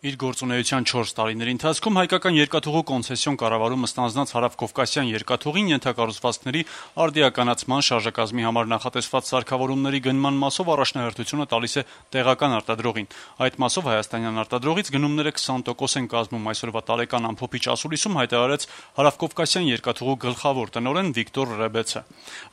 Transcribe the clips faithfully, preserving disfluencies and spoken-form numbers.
Իր գործունեության չորս տարիների ընթացքում հայկական երկաթուղու կոնցեսիոն կառավարումը ստանձնած հարավկովկասյան երկաթուղին ենթակառուցվածքների արդիականացման շարժակազմի համար նախատեսված սարքավորումների գնման մասով առաջնահերթությունը տալիս է տեղական արտադրողին։ Այդ մասով հայաստանյան արտադրողից գնումները քսան տոկոս են կազմում, այսօրվա տարեկան ամփոփիչ ասուլիսում հայտարարեց հարավկովկասյան երկաթուղու գլխավոր տնօրեն Վիկտոր Ռեբեցը։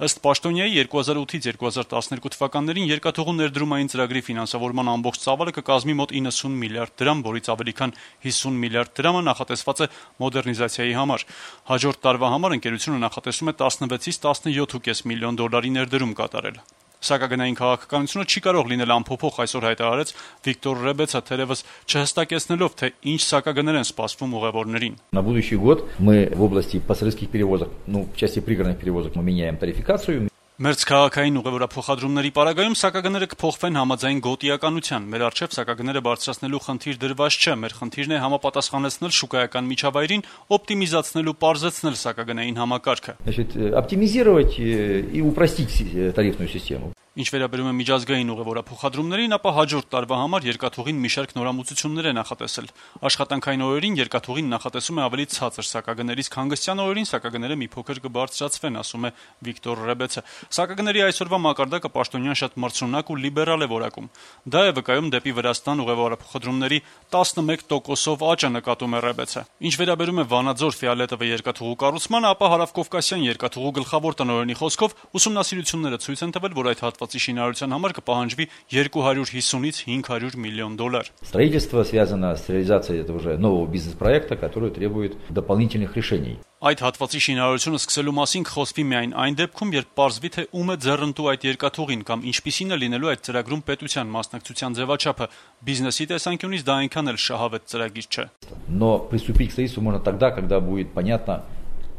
Ըստ պաշտոնյայի երկու հազար ութից երկու հազար տասներկու թվականներին երկաթուղու ներդրումային ծրագրի ֆինանսավորման ամբողջ ծավալը կկազմի մոտ իննսուն միլիարդ դրամ, որից ավելի քան հիսուն միլիարդ դրամը նախատեսված է մոդեռնիզացիայի համար։ Հաջորդ տարվա համար ընկերությունը նախատեսում է տասնվեցից տասնյոթ կόμμα պենս միլիոն դոլարի ներդրում կատարել։ Սակագնային քաղաքականությունը չի կարող լինել անփոփոխ, այսօր հայտարարեց Վիկտոր Ռեբեցը, թերևս չհստակեցնելով, թե ինչ սակագներ են սպասվում ուղևորներին։ На будущий год мы в области пассажирских перевозок, ну, в части пригородных перевозок мы меняем тарификацию. Մերձքաղաքային ուղևորափոխադրումների պարագայում սակագները կփոխվեն համաձայն գոտիականության։ Մեր առջև սակագները բարձրացնելու խնդիր դրված չէ, մեր խնդիրն է համապատասխանեցնել շուկայական միջավայրին, օպտիմիզացնել ու պարզեցնել սակագնային համակարգը։ Значит, оптимизировать и упростить тарифную систему. Ինչ վերաբերում է միջազգային ուղևորափոխադրումներին, ապա հաջորդ տարվա համար երկաթուղին մի շարք նորամուծություններ է նախատեսել։ Աշխատանքային օրերին երկաթուղին նախատեսում է ավելի ցածր սակագներից, հանգստյան օրերին սակագները մի փոքր կբարձրացվեն, ասում է Վիկտոր Ռեբեցը։ Սակագների այսօրվա մակարդակը պաշտոնյան շատ մրցունակ ու լիբերալ է որակում։ Դա է վկայում դեպի Վրաստան ուղևորափոխադրումների տասնմեկ տոկոսով աճը, նկատում է Ռեբեցը։ Ինչ վերաբերում է Վանաձոր Ֆիալետովը երկաթուղու կառուցմանը, ապա հարավկովկասյան երկաթուղու գլխավոր տնօրենի խոսքով ուսումնասիրությունները ցույց են տվել, որ այդ հատվածի շինարարության համար կպահանջվի երկու հարյուր հիսունից հինգ հարյուր միլիոն դոլար։ Строительство связано с реализацией этого уже нового бизнес-проекта, который требует дополнительных решений. Այդ հատվածի շինարարությունը սկսելու մասին կխոսվի միայն այն депքում, երբ պարզվի, թե ում է ձեռնտու այդ երկաթուղին կամ ինչպիսին է լինելու այդ ծրագրում պետության մասնակցության ձևաչափը։ Բիզնեսի տեսանկյունից դա այնքան էլ շահավետ ծրագիր չէ։ Но приступить к строительству можно тогда, когда будет понятно,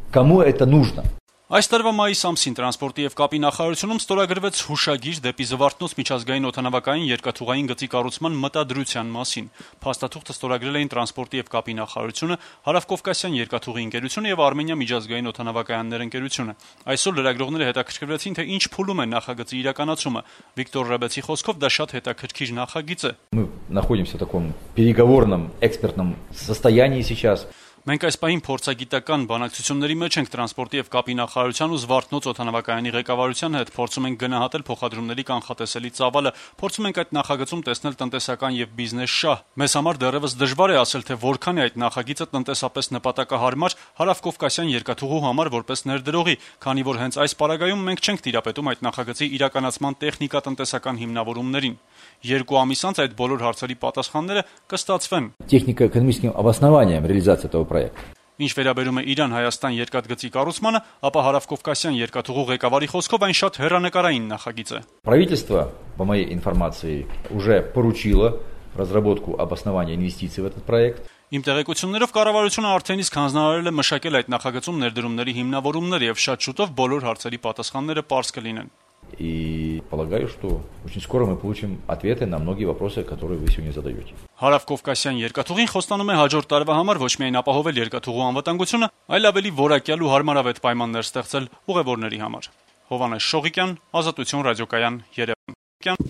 кому это нужно. Այս տարվա մայիս ամսին տրանսպորտի եւ կապի նախարարությունում ստորագրվեց հուշագիր դեպի Զվարթնոց միջազգային օդանավակայան երկաթուղային գծի կառուցման մտադրության մասին։ Փաստաթուղթը ստորագրել էին տրանսպորտի եւ կապի նախարարությունը, Հարավկովկասյան երկաթուղի ընկերությունը եւ Արմենիա միջազգային օդանավակայաններ ընկերությունը։ Այսօր լրագրողները հետաքրքրվեցին, թե ինչ փուլում է նախագծի իրականացումը։ Վիկտոր Ռեբեցի խոսքով դա շատ հետաքրքիր նախագիծ է։ Мы находимся в таком переговорном экспертном состоянии сейчас. Մենք այս պահին փորձագիտական բանակցությունների մեջ ենք տրանսպորտի եւ կապի նախարարության ու Զվարթնոց օդանավակայանի ղեկավարության հետ, փորձում ենք գնահատել փոխադրումների կանխատեսելի ծավալը, փորձում ենք այդ նախագծում տեսնել տնտեսական եւ բիզնես շահ։ Մեզ համար դեռևս դժվար է ասել, թե որքան է այդ նախագիծը տնտեսապես նպատակահարմար Հարավկովկասյան երկաթուղու համար որպես ներդրողի, քանի որ հենց այս պարագայում մենք չենք տիրապետում այդ նախագծի իրականացման տեխնիկա-տնտեսական հիմնավորումներին։ Երկու ամիս անց այդ բոլոր հարցերի պատասխանները կստացվեն։ Технико-экономическим обоснованием реализации этого проекта. Ինչ վերաբերում է Իրան-Հայաստան երկաթգծի կառուցմանը, ապա Հարավկովկասյան երկաթուղու ղեկավարի խոսքով այն շատ հեռանկարային նախագիծ է։ Правительство, по моей информации, уже поручило разработку обоснования инвестиций в этот проект. Իմ տեղեկություններով կառավարությունը արդեն իսկ հանձնարարել է մշակել այդ նախագծում ներդրումների հիմնավորումներ եւ շատ շուտով բոլոր հարցերի պատասխանները պարզ կլինեն։ И полагаю, что очень скоро мы получим ответы на многие вопросы, которые вы сегодня задаете. Հարավկովկասյան երկաթուղին խոստանում է հաջորդ տարվա համար ոչ միայն ապահովել երկաթուղու անվտանգությունը, այլ ավելի որակյալ ու հարմարավետ պայմաններ ստեղծել ուղևորների համար։ Հովհաննես Շողիկյան, Ազատություն ռադիոկայան, Երևան։